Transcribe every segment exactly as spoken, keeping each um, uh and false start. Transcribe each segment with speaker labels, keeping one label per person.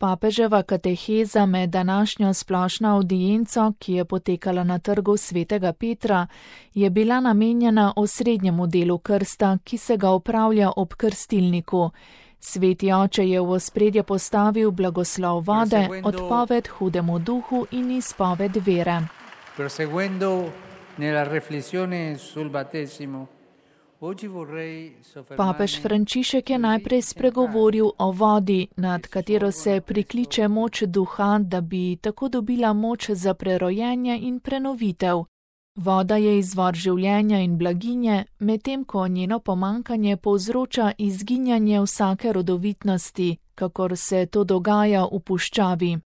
Speaker 1: Papeževa kateheza med današnjo splošno avdienco, ki je potekala na trgu svetega Petra, je bila namenjena osrednjemu delu krsta, ki se ga opravlja ob krstilniku. Sveti oče je v ospredje postavil blagoslov vode, odpoved hudemu duhu in izpoved vere.
Speaker 2: Proseguendo nella riflessione sul battesimo,
Speaker 1: Papež Frančišek je najprej spregovoril o vodi, nad katero se prikliče moč duha, da bi tako dobila moč za prerojenje in prenovitev. Voda je izvor življenja in blaginje, medtem ko njeno pomanjkanje povzroča izginjanje vsake rodovitnosti, kakor se to dogaja v puščavi.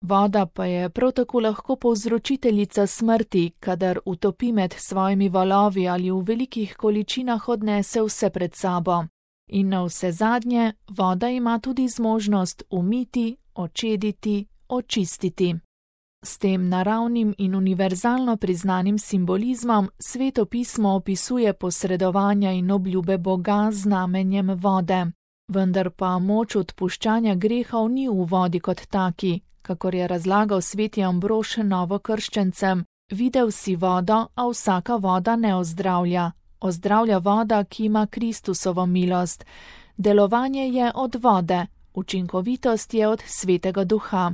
Speaker 1: Voda pa je prav tako lahko povzročiteljica smrti, kadar utopi med svojimi valovi ali v velikih količinah odnese vse pred sabo. In na vse zadnje, voda ima tudi zmožnost umiti, očediti, očistiti. S tem naravnim in univerzalno priznanim simbolizmom Sveto pismo opisuje posredovanja in obljube Boga z znamenjem vode. Vendar pa moč odpuščanja grehov ni v vodi kot taki. Kakor je razlagal sveti Ambrož novokrščencem, videl si vodo, a vsaka voda ne ozdravlja. Ozdravlja voda, ki ima Kristusovo milost. Delovanje je od vode, učinkovitost je od svetega duha.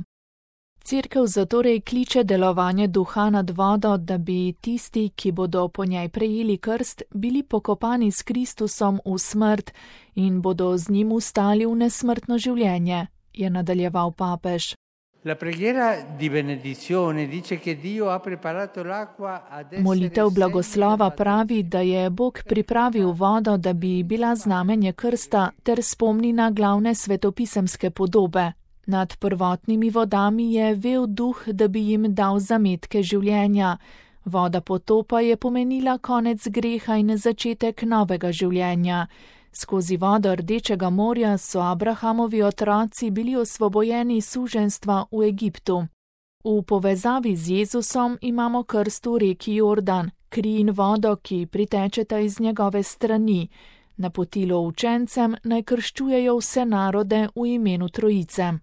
Speaker 1: Cerkev zatorej kliče delovanje duha nad vodo, da bi tisti, ki bodo po njej prejeli krst, bili pokopani s Kristusom v smrt in bodo z njim ustali v nesmrtno življenje, je nadaljeval papež.
Speaker 2: La preghiera di benedizione dice che Dio ha preparato l'acqua ad essere
Speaker 1: Molitev blagoslova pravi, da je Bog pripravil vodo, da bi bila znamenje krsta ter spomni na glavne svetopisemske podobe. Nad prvotnimi vodami je vel duh, da bi jim dal zametke življenja. Voda potopa je pomenila konec greha in začetek novega življenja. Skozi vodo Rdečega morja so Abrahamovi otroci bili osvobojeni suženjstva v Egiptu. V povezavi z Jezusom imamo krst v reki Jordan, kri in vodo, ki pritečeta iz njegove strani. Napotilo učencem naj krščujejo vse narode v imenu Trojice.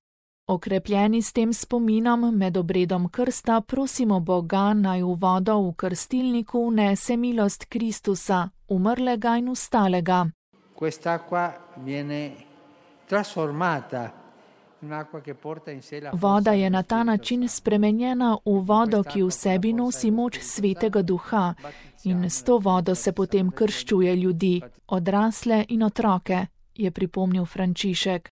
Speaker 1: Okrepljeni s tem spominom med obredom krsta prosimo Boga, naj v vodo v krstilniku vnese milost Kristusa, umrlega in vstalega.
Speaker 2: Quest'acqua viene trasformata in un'acqua che porta in sé la
Speaker 1: Voda je na ta način spremenjena v vodo, ki v sebi nosi moč svetega duha, in s to vodo se potem krščuje ljudi, odrasle in otroke, je pripomnil Frančišek.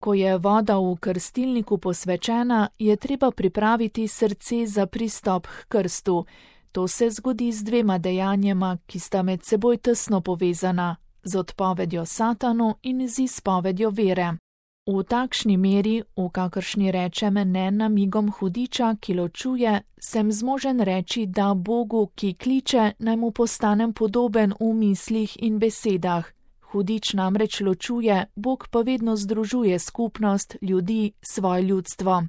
Speaker 1: Ko je voda v krstilniku posvečena, je treba pripraviti srce za pristop k krstu. To se zgodi z dvema dejanjema, ki sta med seboj tesno povezana, z odpovedjo satanu in z izpovedjo vere. V takšni meri, v kakršni rečem ne namigom hudiča, ki ločuje, sem zmožen reči, da Bogu, ki kliče, naj mu postanem podoben v mislih in besedah. Hudič namreč ločuje, Bog pa vedno združuje skupnost, ljudi, svoje ljudstvo.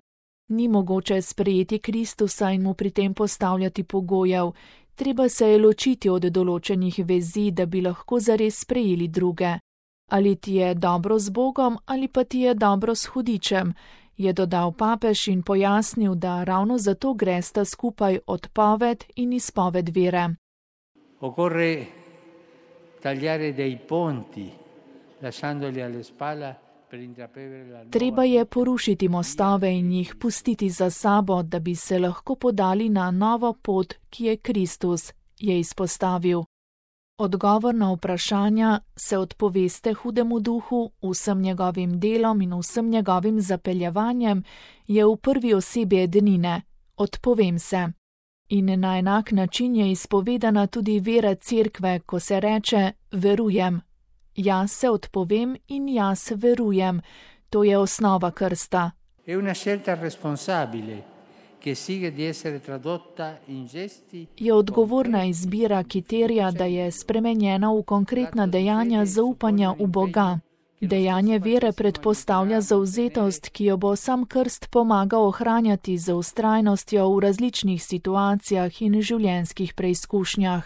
Speaker 1: Ni mogoče sprejeti Kristusa in mu pri tem postavljati pogojev. Treba se je ločiti od določenih vezi, da bi lahko zares sprejeli druge. Ali ti je dobro z Bogom, ali pa ti je dobro s hudičem, je dodal papež in pojasnil, da ravno zato gresta skupaj odpoved in izpoved vere.
Speaker 2: Occorre tagliare dei ponti, lasciandoli alle spalle.
Speaker 1: Treba je porušiti mostove in jih pustiti za sabo, da bi se lahko podali na novo pot, ki je Kristus, je izpostavil. Odgovor na vprašanja se odpoveste hudemu duhu, vsem njegovim delom in vsem njegovim zapeljevanjem je v prvi osebi ednine, odpovem se. In na enak način je izpovedana tudi vera cerkve, ko se reče verujem. Jaz se odpovem in jaz verujem. To je osnova krsta.
Speaker 2: È una scelta responsabile, che sigue di essere tradotta in gesti.
Speaker 1: Je odgovorna izbira, ki terja, da je spremenjena v konkretna dejanja zaupanja v Boga. Dejanje vere predpostavlja zauzetost, ki jo bo sam krst pomagal ohranjati z vztrajnostjo v različnih situacijah in življenjskih preizkušnjah.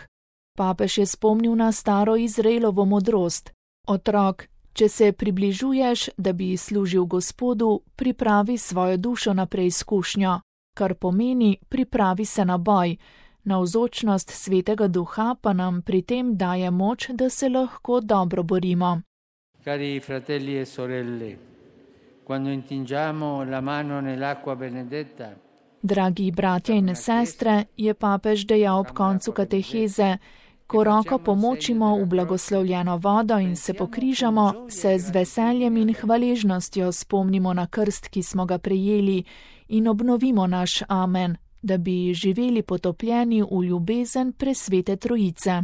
Speaker 1: Papež je spomnil na staro Izraelovo modrost. Otrok, Če se približuješ, da bi služil Gospodu, pripravi svojo dušo na preizkušnjo, kar pomeni, pripravi se na boj. Navzočnost Svetega Duha pa nam pri tem daje moč, da se lahko dobro borimo.
Speaker 2: Cari fratelli e sorelle, quando intingiamo la mano nell'acqua benedetta,
Speaker 1: Dragi bratje in sestre, je papež dejal ob koncu kateheze, ko roko pomočimo v blagoslovljeno vodo in se pokrižamo, se z veseljem in hvaležnostjo spomnimo na krst, ki smo ga prejeli, in obnovimo naš amen, da bi živeli potopljeni v ljubezen presvete Trojice.